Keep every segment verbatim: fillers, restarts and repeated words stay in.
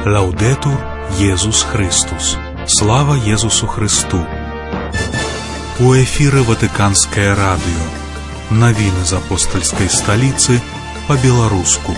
Лаўдэтур Езус Христус. Слава Езусу Христу. У эфіры Ватыканскае радыё. Навіны з апостальскай сталіцы па-беларуску.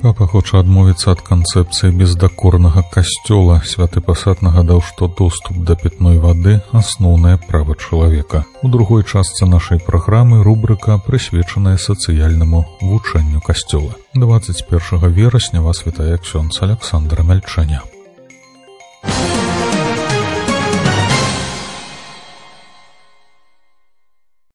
Папа хоча адмовіцца ад канцэпцыі бездакорнага касцёла. Святы пасад нагадаў, што доступ да пітной вады – асноўнае права чалавека. У другой частцы нашай праграмы рубрыка, прысвечаная сацыяльнаму вучэнню касцёла. дваццаць першага верасня вас вітае ксёндз Аляксандр Мяльчаня.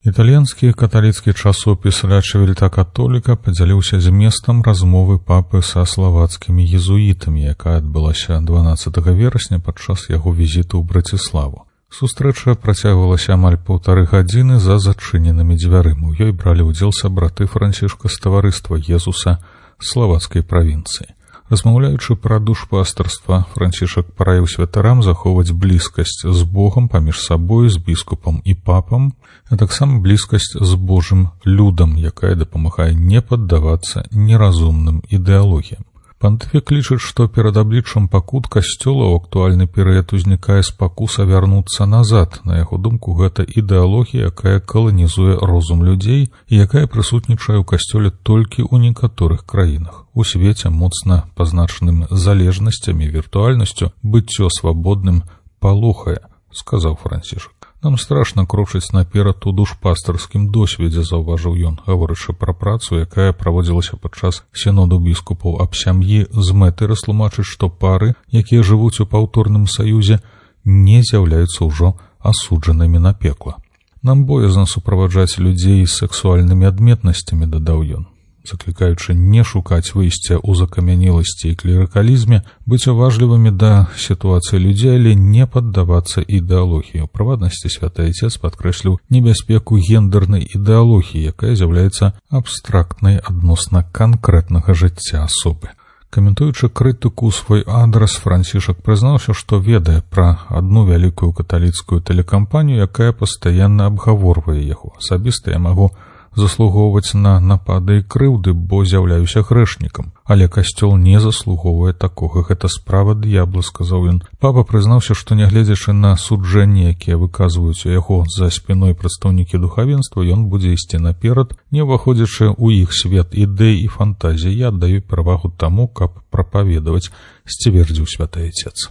Італьянскі каталіцкі часопіс «Ля Чивільта Католіка» падзяліўся зместам размовы папы са славацкімі езуітамі, якая адбылася дванаццатага верасня падчас яго візіту ў Браціславу. Сустрэча працягвалася амаль паўтары гадзіны за зачыненымі дзвярыма. У ёй бралі ўдзел сабраты Францішка з таварыства Езуса славацкай правінцыі. Размаўляючы пра душпастарства, Францішак параіў святарам захоўваць блізкасць з Богам паміж сабой, з біскупам і папам, а таксама блізкасць з Божым людам, якая дапамагае не паддавацца неразумным ідэалогіям. Пантыфік лічыць, што перад абліччам пакут касцёла ў актуальны перыяд узнікае спакуса вярнуцца назад. На яго думку, гэта ідэалогія, якая каланізуе розум людзей і якая прысутнічае ў касцёле толькі ў некаторых краінах. У свеце, моцна пазначаным залежнасцямі і віртуальнасцю, быццё свабодным палохае, сказаў Францішак. Нам страшна крочыць наперад у душпастарскім досведзе, заўважыў ён, гаворачы пра працу, якая праводзілася падчас сіноду біскупаў аб сям'і з мэтай растлумачыць, што пары, якія жывуць у паўторным саюзе, не з'яўляюцца ўжо асуджанымі на пекла. Нам боязна суправаджаць людзей з сексуальнымі адметнасцямі, дадаў ён, заклікаючы не шукаць выйсця ў закамянеласці і клерыкалізме, быць уважлівымі да сітуацыі людзей, але не паддавацца ідэалогіі. У прыватнасці святы Айцец падкрэсліў небяспеку гендернай ідэалогіі, якая з'яўляецца абстрактнай адносна канкрэтнага жыцця асобы. Каментуючы крытыку ў свой адрас, Францішак прызнаўся, што ведае пра адну вялікую каталіцкую тэлекампанію, якая пастаянна абгаворвае яго. Асабіста я магу заслугоўваць на напады і крыўды, бо з'яўляюся грэшнікам. Але касцёл не заслугоўвае такога. Гэта справа д'ябла, сказаў ён. Папа прызнаўся, што нягледзячы на суджэнні, якія выказваюць у яго за спіной прадстаўнікі духавенства, ён будзе ісці наперад, не ўваходзячы ў іх свет ідэй і фантазій. Я аддаю перавагу таму, каб прапаведаваць, сцвердзіў святы Айцец.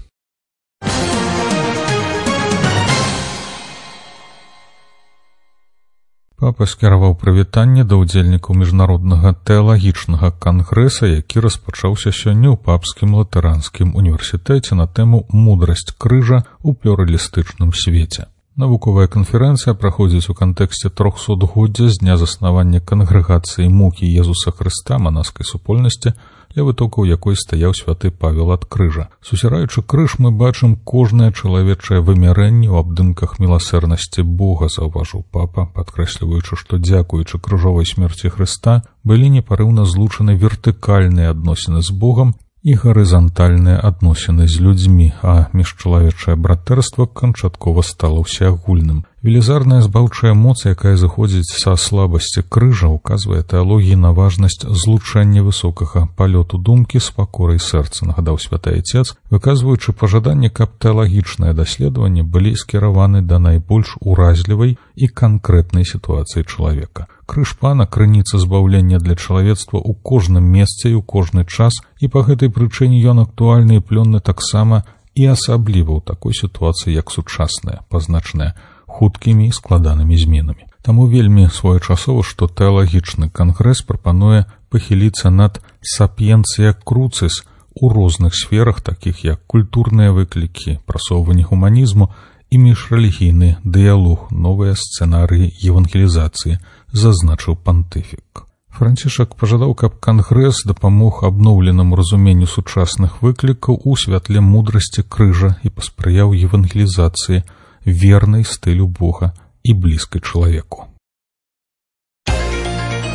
Папа скіраваў прывітанне да ўдзельнікаў міжнароднага тэалагічнага кангрэса, які распачаўся сёння ў папскім латаранскім універсітэце на тэму «Мудрасць крыжа ў плюралістычным свеце». Навуковая канферэнцыя праходзіць у кантэксце трохсотгоддзя з дня заснавання кангрэгацыі мукі Езуса Хрыста манаскай супольнасці, ля вытокаў якой стаяў святы Павел ад крыжа. Сусіраючы крыж, мы бачым кожнае чалавечае вымярэнне ў абдымках міласэрнасці Бога, заўважыў папа, падкрэсліваючы, што дзякуючы крыжовай смерці Хрыста былі непарыўна злучаны вертыкальныя адносіны з Богам і гарызантальныя адносіны з людзьмі, а міжчалавечае братэрства канчаткова стала ўсеагульным. Велізарная збаўчая моц, якая заходзіць са слабасці крыжа, указвае тэалогіі на важнасць злучэння высокага палёту думкі з пакорай сэрца, нагадаў святы Айцец, выказваючы пажаданне, каб тэалагічныя даследаванні былі скіраваны да найбольш уразлівай і канкрэтнай сітуацыі чалавека. Крыж пана – крыніца збаўлення для чалавецтва ў кожным месцы і ў кожны час, і па гэтай прычыне ён актуальны і плённы таксама і асабліва ў такой сітуацыі, як сучасная, пазначаная хуткімі і складанымі зменамі. Таму вельмі своечасова, што тэалагічны кангрэс прапануе пахіліцца над сапіенцыя круцис у розных сферах, такіх як культурныя выклікі, прасоўванне гуманізму і міжрэлігійны дыялог, новыя сцэнарыі евангелізацыі, зазначыў пантыфік. Францішак пажадаў, каб кангрэс дапамог абноўленаму разуменню сучасных выклікаў у святле мудрасці крыжа і паспрыяў евангелізацыі, вернай стылю Бога і блізкай чалавеку.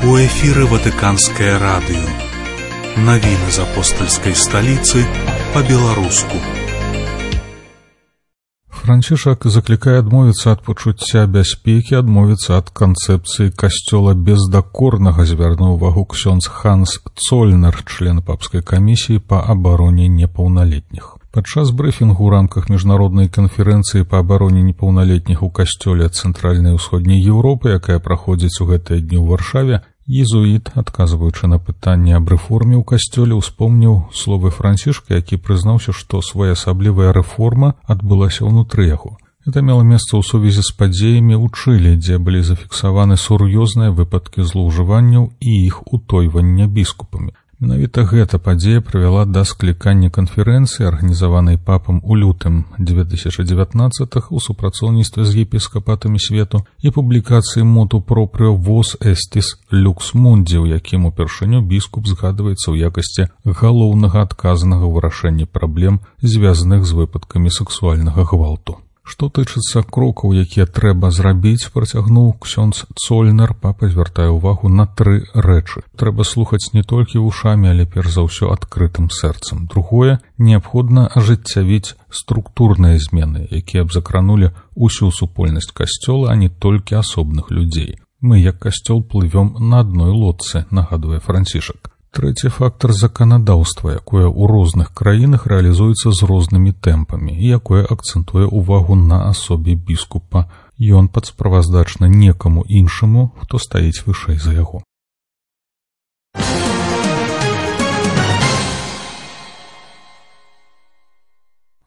У эфіры Ватыканскае радыё. Навіны з апостальскай сталіцы па-беларуску. Францішак заклікае адмовіцца ад пачуцця бяспекі, адмовіцца ад канцэпцыі касцёла бездакорнага, звярнуў увагу ксёндз Ханс Цольнер, член папскай камісіі па абароне непаўналетніх. Падчас брыфінгу ў рамках міжнароднай канферэнцыі па абароне непаўналетніх у касцёле цэнтральнай і ўсходняй Еўропы, якая праходзіць у гэтыя дні ў Варшаве, езуіт, адказваючы на пытанне аб рэформе ў касцёле, успомніў словы Францішка, які прызнаўся, што своеасаблівая рэформа адбылася ўнутры яго. Гэта мела месца ў сувязі з падзеямі ў Чылі, дзе былі зафіксаваны сур'ёзныя выпадкі злоўжыванняў і іх утойвання біскупамі. Менавіта гэта падзея прывяла да склікання канферэнцыі, арганізаванай папам у лютым дзве тысячы дзевятнаццатага ў супрацоўніцтве з епіскапатамі свету і публікацыі моту пропрыо «Вос эстис люкс мунди», у якім упершыню біскуп згадваецца ў якасці галоўнага адказанага ў вырашэнні праблем, звязаных з выпадкамі сексуальнага гвалту. Што тычыцца крокаў, якія трэба зрабіць, працягнуў ксёндз Цольнер, папа звяртае ўвагу на тры рэчы. Трэба слухаць не толькі вушамі, але перш за ўсё адкрытым сэрцам. Другое, неабходна ажыццявіць структурныя змены, якія б закранулі усю супольнасць касцёла, а не толькі асобных людзей. Мы, як касцёл, плывём на адной лодцы, нагадвае Францішак. Трэці фактар заканадаўства, якое ў розных краінах рэалізуецца з рознымі тэмпамі і якое акцэнтуе ўвагу на асобе біскупа. Ён падсправаздачна некаму іншаму, хто стаіць вышэй за яго.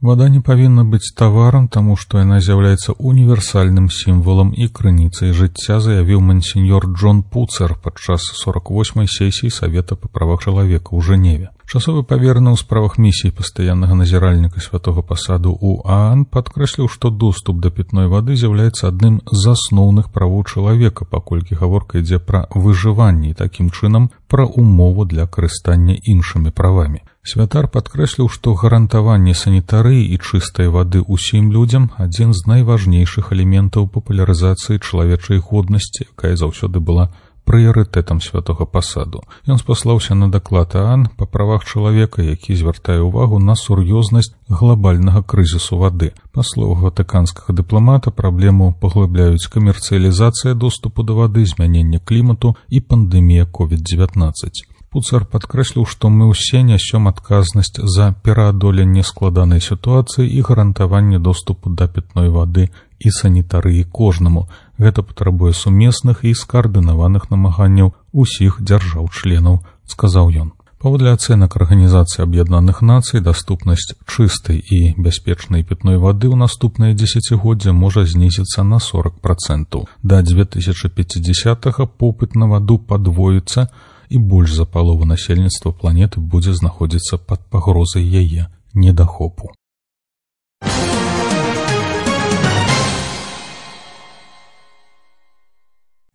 Вада не павінна быць таварам, таму што яна з'яўляецца універсальным сімвалам і крыніцай жыцця, заявіў мансеньор Джон Пуцер падчас сорок восьмай сесіі Савета па правах чалавека ў Жэневе. Часовы павераны ў справах місіі пастаяннага назіральніка святога пасаду ў ААН падкрэсліў, што доступ да пітной вады з'яўляецца адным з асноўных правоў чалавека, паколькі гаворка ідзе пра выжыванне і такім чынам пра умову для карыстання іншымі правамі. Святар падкрэсліў, што гарантаванне санітарыі і чыстай вады ўсім людзям адзін з найважнейшых элементаў папулярызацыі чалавечай годнасці, якая заўсёды была прыярытэтам святога пасаду. Ён спаслаўся на даклад ААН па правах чалавека, які звяртае ўвагу на сур'ёзнасць глобальнага крызісу вады. Па словах ватыканскага дыпламата, праблему паглыбляюць камерцыялізацыя доступу да вады, змяненне клімату і пандэмія ковід дзевятнаццаць. Пуцер падкрэсліў, што мы ўсе нясём адказнасць за пераадоленне складанай сітуацыі і гарантаванне доступу да пітной вады і санітарыі кожнаму. Гэта патрабуе сумесных і скаардынаваных намаганняў усіх дзяржаў-членаў, сказаў ён. Паводле ацэнак Арганізацыі Аб'яднаных Нацый, даступнасць чыстай і бяспечнай пітной вады ў наступнае дзесяцігоддзе можа знізіцца на сорок працэнтаў. Да дзве тысячы пяцідзясятага попыт на ваду падвоіцца, і больш за палову насельніцтва планеты будзе знаходзіцца пад пагрозай яе недахопу.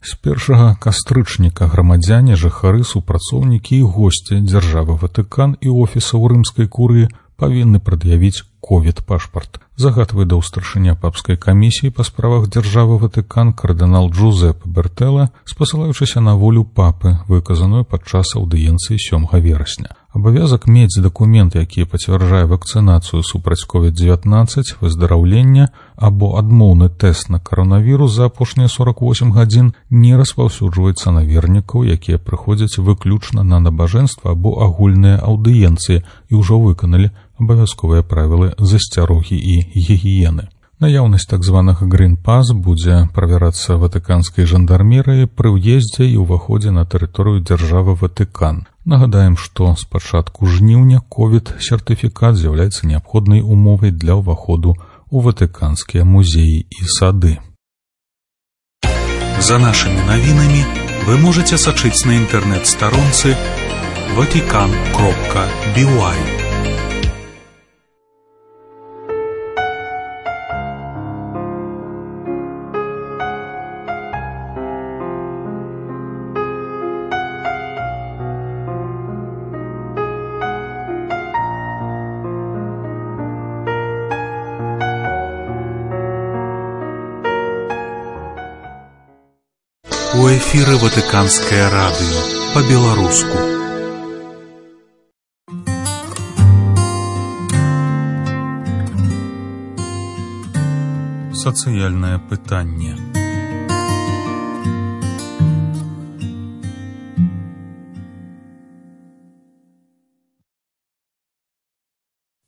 З першага кастрычніка грамадзяне, жыхары, супрацоўнікі і госці дзяржавы Ватыкан і офісаў рымскай курыі павінны прад'явіць ковід-пашпарт. Загадвае да старшыня папскай камісіі па справах дзяржавы Ватыкан кардынал Джузеппе Бертэлла, спасылаючыся на волю папы, выказаную падчас аўдыенцыі сёмага верасня. Абавязак мець дакумент, які пацвярджае вакцынацыю супраць ковід дзевятнаццаць, выздараўлення або адмоўны тэст на каранавірус за апошнія сорок восем гадзін не распаўсюджваецца на вернікаў, якія прыходзяць выключна на набажэнства або агульныя аўдыенцыі і ўжо выканалі абавязковыя правілы засцярогі і гігіены. Наяўнасць так званага грін-пас будзе правярацца ватыканскай жандармерыяй пры ўездзе і ўваходзе на тэрыторыю дзяржавы Ватыкан. Нагадаем, што з пачатку жніўня ковід-сертыфікат з'яўляецца неабходнай умовай для ўваходу ў ватыканскія музеі і сады. За нашими навінамі вы можете сачыць на інтэрнэт-старонцы ватикан кропка би уай. У эфіры Ватыканскае радыё па-беларуску. спецыяльнае пытанне.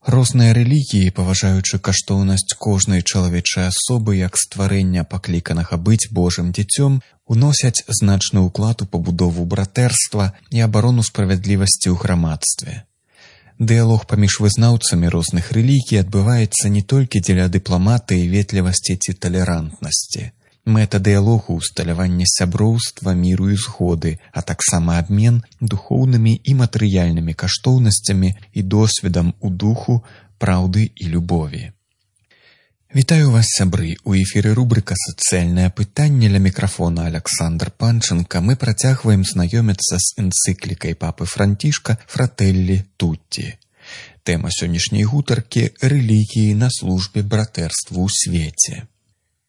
Розныя рэлігіі, паважаючы каштоўнасць кожнай чалавечай асобы як стварэння пакліканага быць Божым дзіцём, уносяць значны ўклад у пабудову братэрства і абарону справядлівасці ў грамадстве. Дыялог паміж вызнаўцамі розных рэлігій адбываецца не толькі дзеля дыпламатыі, ветлівасці ці талерантнасці. Мэта дыялогу – усталяванне сяброўства, міру і згоды, а таксама абмен духоўнымі і матэрыяльнымі каштоўнасцямі і досведам у духу, праўды і любові. Вітаю вас, сябры! У эфіры рубрыка «Сацыяльнае пытанне», ля мікрафона Аляксандр Панченка. Мы працягваем знаёміцца з энцыклікай папы Францішка «Фрателлі Тутті». Тэма сённяшняй гутаркі – рэлігіі на службе братэрству ў свеце.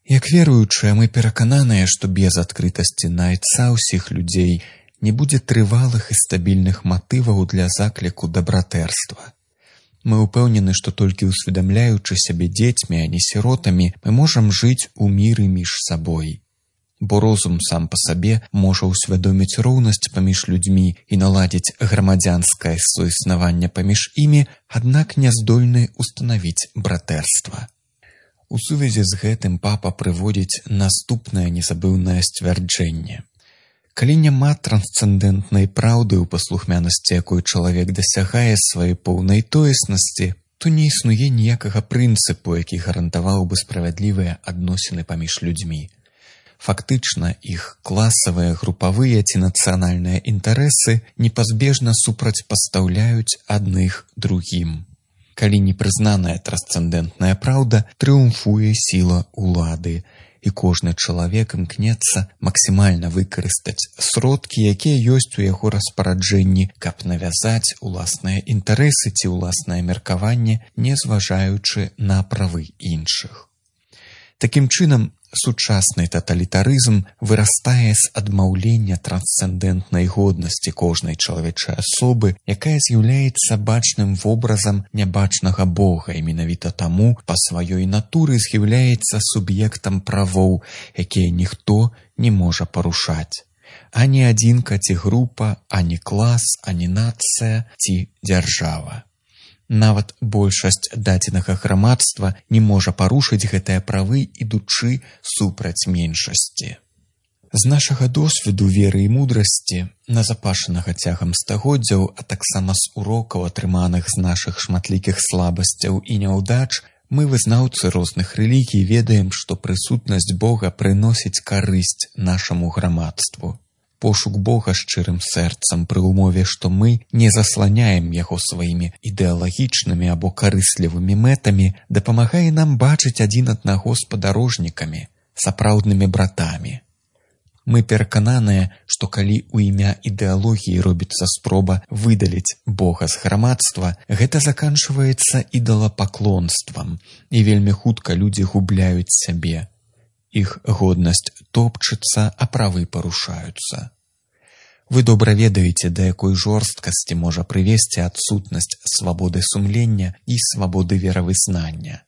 Як веруючыя, мы перакананыя, што без адкрытасці на айца ўсіх людзей не будзе трывалых і стабільных матываў для закліку да братэрства. Мы ўпэўнены, што толькі ўсведамляючы сябе дзецьмі, а не сіротамі, мы можам жыць у міры між сабой. Бо розум сам па сабе можа ўсвядоміць роўнасць паміж людзьмі і наладзіць грамадзянскае суіснаванне паміж імі, аднак не здольны ўстанавіць братэрства. У сувязі з гэтым папа прыводзіць наступнае незабыўнае сцвярджэнне. Калі няма трансцэндэнтнай праўды ў паслухмянасці, якой чалавек дасягае сваёй поўнай тоеснасці, то не існуе ніякага прынцыпу, які гарантаваў бы справядлівыя адносіны паміж людзьмі. Фактычна, іх класавыя, групавыя ці нацыянальныя інтарэсы непазбежна супрацьпастаўляюць адных другім. Калі непрызнаная трансцэндэнтная праўда, трыумфуе сіла ўлады, і кожны чалавек імкнецца максімальна выкарыстаць сродкі, якія ёсць у яго распараджэнні, каб навязаць уласныя інтарэсы ці ўласнае меркаванне, не зважаючы на правы іншых. Такім чынам, сучасны таталітарызм вырастае з адмаўлення трансцэндэнтнай годнасці кожнай чалавечай асобы, якая з'яўляецца бачным вобразам нябачнага Бога і менавіта таму па сваёй натуры з'яўляецца суб'ектам правоў, якія ніхто не можа парушаць. Ані адзінка ці група, ані клас, ані нацыя ці дзяржава. Нават большасць дадзенага грамадства не можа парушыць гэтыя правы, ідучы супраць меншасці. З нашага досведу веры і мудрасці, назапашанага цягам стагоддзяў, а таксама з урокаў, атрыманых з нашых шматлікіх слабасцяў і няўдач, мы, вызнаўцы розных рэлігій, ведаем, што прысутнасць Бога прыносіць карысць нашаму грамадству. Пошук Бога шчырым сэрцам пры ўмове, што мы не засланяем яго сваімі ідэалагічнымі або карыслівымі мэтамі, дапамагае нам бачыць адзін аднаго спадарожнікамі, сапраўднымі братамі. Мы перакананыя, што калі ў імя ідэалогіі робіцца спроба выдаліць Бога з грамадства, гэта заканчваецца ідалапаклонствам, і вельмі хутка людзі губляюць сябе. Іх годнасць топчыцца, а правы парушаюцца. Вы добра ведаеце, да якой жорсткасці можа прывесці адсутнасць свабоды сумлення і свабоды веравызнання.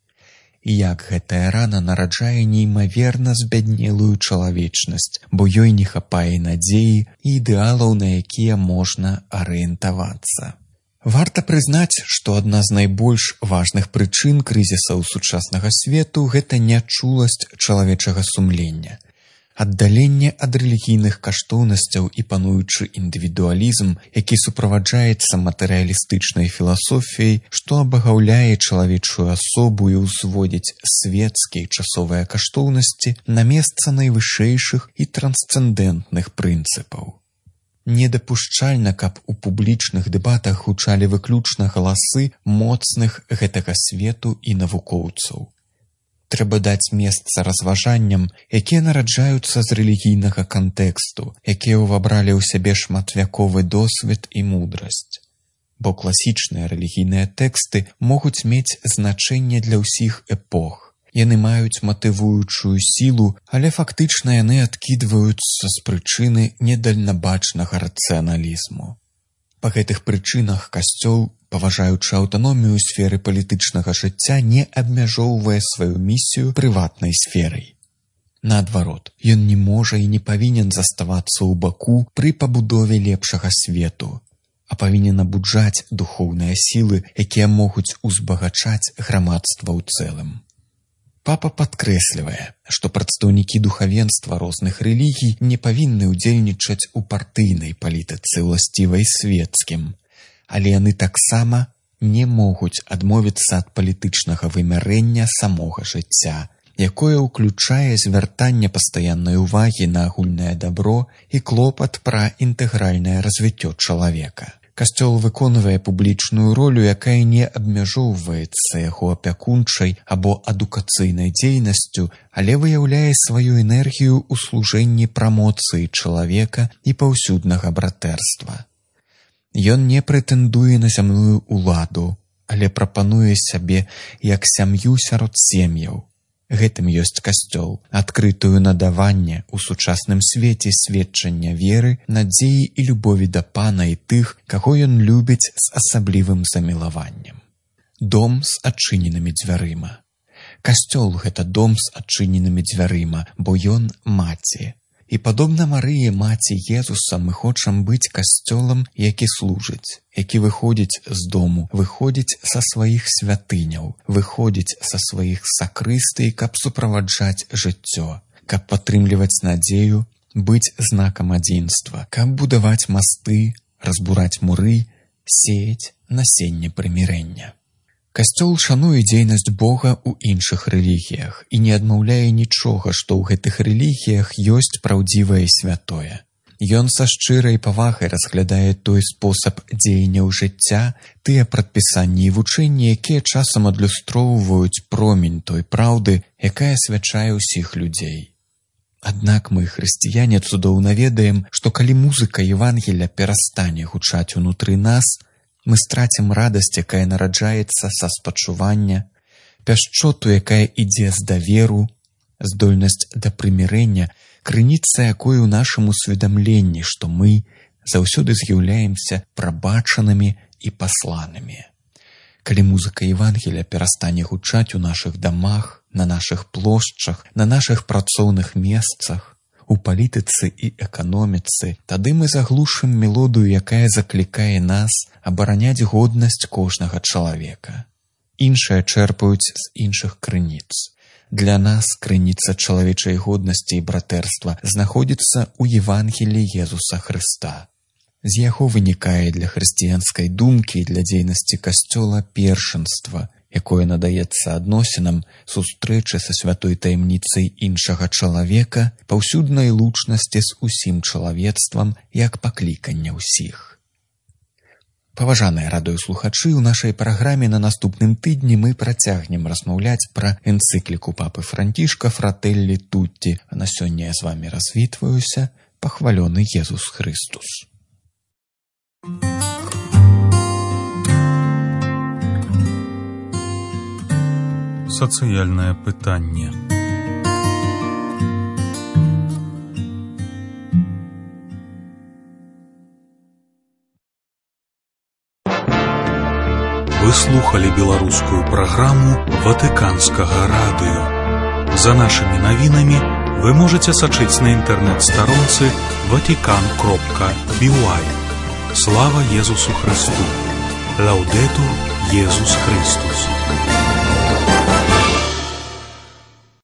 І як гэтая рана нараджае неймаверна збяднелую чалавечнасць, бо ёй не хапае надзеі і ідэалаў, на якія можна арыентавацца. Варта прызнаць, што адна з найбольш важных прычын крызісаў сучаснага свету – гэта нячуласць чалавечага сумлення. Аддаленне ад рэлігійных каштоўнасцяў і пануючы індывідуалізм, які суправаджаецца матэрыялістычнай філасофіяй, што абагаўляе чалавечую асобу і ўзводзіць свецкія часовыя каштоўнасці на месца найвышэйшых і трансцэндэнтных прынцыпаў. Недапушчальна, каб у публічных дэбатах гучалі выключна галасы моцных гэтага свету і навукоўцаў. Трэба даць месца разважанням, якія нараджаюцца з рэлігійнага кантэксту, якія ўвабралі ў сябе шматвяковы досвед і мудрасць. Бо класічныя рэлігійныя тэксты могуць мець значэнне для ўсіх эпох. Яны маюць матывуючую сілу, але фактычна яны адкідваюцца з прычыны недальнабачнага рацыяналізму. Па гэтых прычынах касцёл, паважаючы аўтаномію ў сферы палітычнага жыцця, не абмяжоўвае сваю місію прыватнай сферай. Наадварот, ён не можа і не павінен заставацца ў баку пры пабудове лепшага свету, а павінен абуджаць духоўныя сілы, якія могуць узбагачаць грамадства ў цэлым. Папа падкрэслівае, што прадстаўнікі духавенства розных рэлігій не павінны ўдзельнічаць у партыйнай палітыцы, уласцівай свецкім, але яны таксама не могуць адмовіцца ад палітычнага вымярэння самога жыцця, якое ўключае звяртанне пастаяннай увагі на агульнае дабро і клопат пра інтэгральнае развіццё чалавека. Касцёл выконвае публічную ролю, якая не абмяжоўваецца яго апякунчай або адукацыйнай дзейнасцю, але выяўляе сваю энергію ў служэнні прамоцыі чалавека і паўсюднага братэрства. Ён не прэтэндуе на зямную ўладу, але прапануе сябе як сям'ю сярод сем'яў. Гэтым ёсць касцёл, адкрытую на даванне ў сучасным свеце сведчання веры, надзеі і любові да Пана і тых, каго ён любіць з асаблівым замілаваннем. Дом з адчыненымі дзвярыма. Касцёл – гэта дом з адчыненымі дзвярыма, бо ён маці. І падобна Марыі, маці Езуса, мы хочам быць касцёлам, які служыць, які выходзіць з дому, выходзіць са сваіх святыняў, выходзіць са сваіх сакрыстый, каб суправаджаць жыццё, каб падтрымліваць надзею, быць знакам адзінства, каб будаваць масты, разбураць муры, сеяць насенне прымірэння. Касцёл шануе дзейнасць Бога ў іншых рэлігіях і не адмаўляе нічога, што ў гэтых рэлігіях ёсць праўдзівае і святое. Ён са шчырай павагай разглядае той спосаб дзеянняў жыцця, тыя прадпісанні і вучэнні, якія часам адлюстроўваюць промень той праўды, якая асвячае ўсіх людзей. Аднак мы, хрысціяне, цудоўна ведаем, што калі музыка Евангелля перастане гучаць унутры нас, мы страцім радасць, якая нараджаецца са спачування, пяшчоту, якая ідзе з даверу, здольнасць да прымірэння, крыніца якой у нашым усведамленні, што мы заўсёды з'яўляемся прабачанымі і пасланымі. Калі музыка Евангелля перастане гучаць у нашых дамах, на нашых плошчах, на нашых працоўных месцах, у палітыцы і эканоміцы, тады мы заглушым мелодыю, якая заклікае нас абараняць годнасць кожнага чалавека. Іншыя чэрпаюць з іншых крыніц. Для нас крыніца чалавечай годнасці і братэрства знаходзіцца ў Евангеліі Езуса Хрыста. З яго вынікае для хрысціянскай думкі і для дзейнасці касцёла першынства, якое надаецца адносінам сустрэчы са святой таямніцай іншага чалавека, паўсюднай лучнасці з усім чалавецтвам, як паклікання ўсіх. Паважаныя радыёслухачы, у нашай праграме на наступным тыдні мы працягнем размаўляць пра энцыкліку папы Францішка «Фрателлі Тутті», а на сёння я з вамі развітваюся, пахвалёны Езус Христус. Сацыяльнае пытанне. Вы слухали беларускую праграму Ватыканскага радыё. За нашымі навінамі вы можаце сачыць на інтэрнэт-старонцы ватикан кропка би уай. Слава Езусу Христу! Лаўдэтур Езус Христус!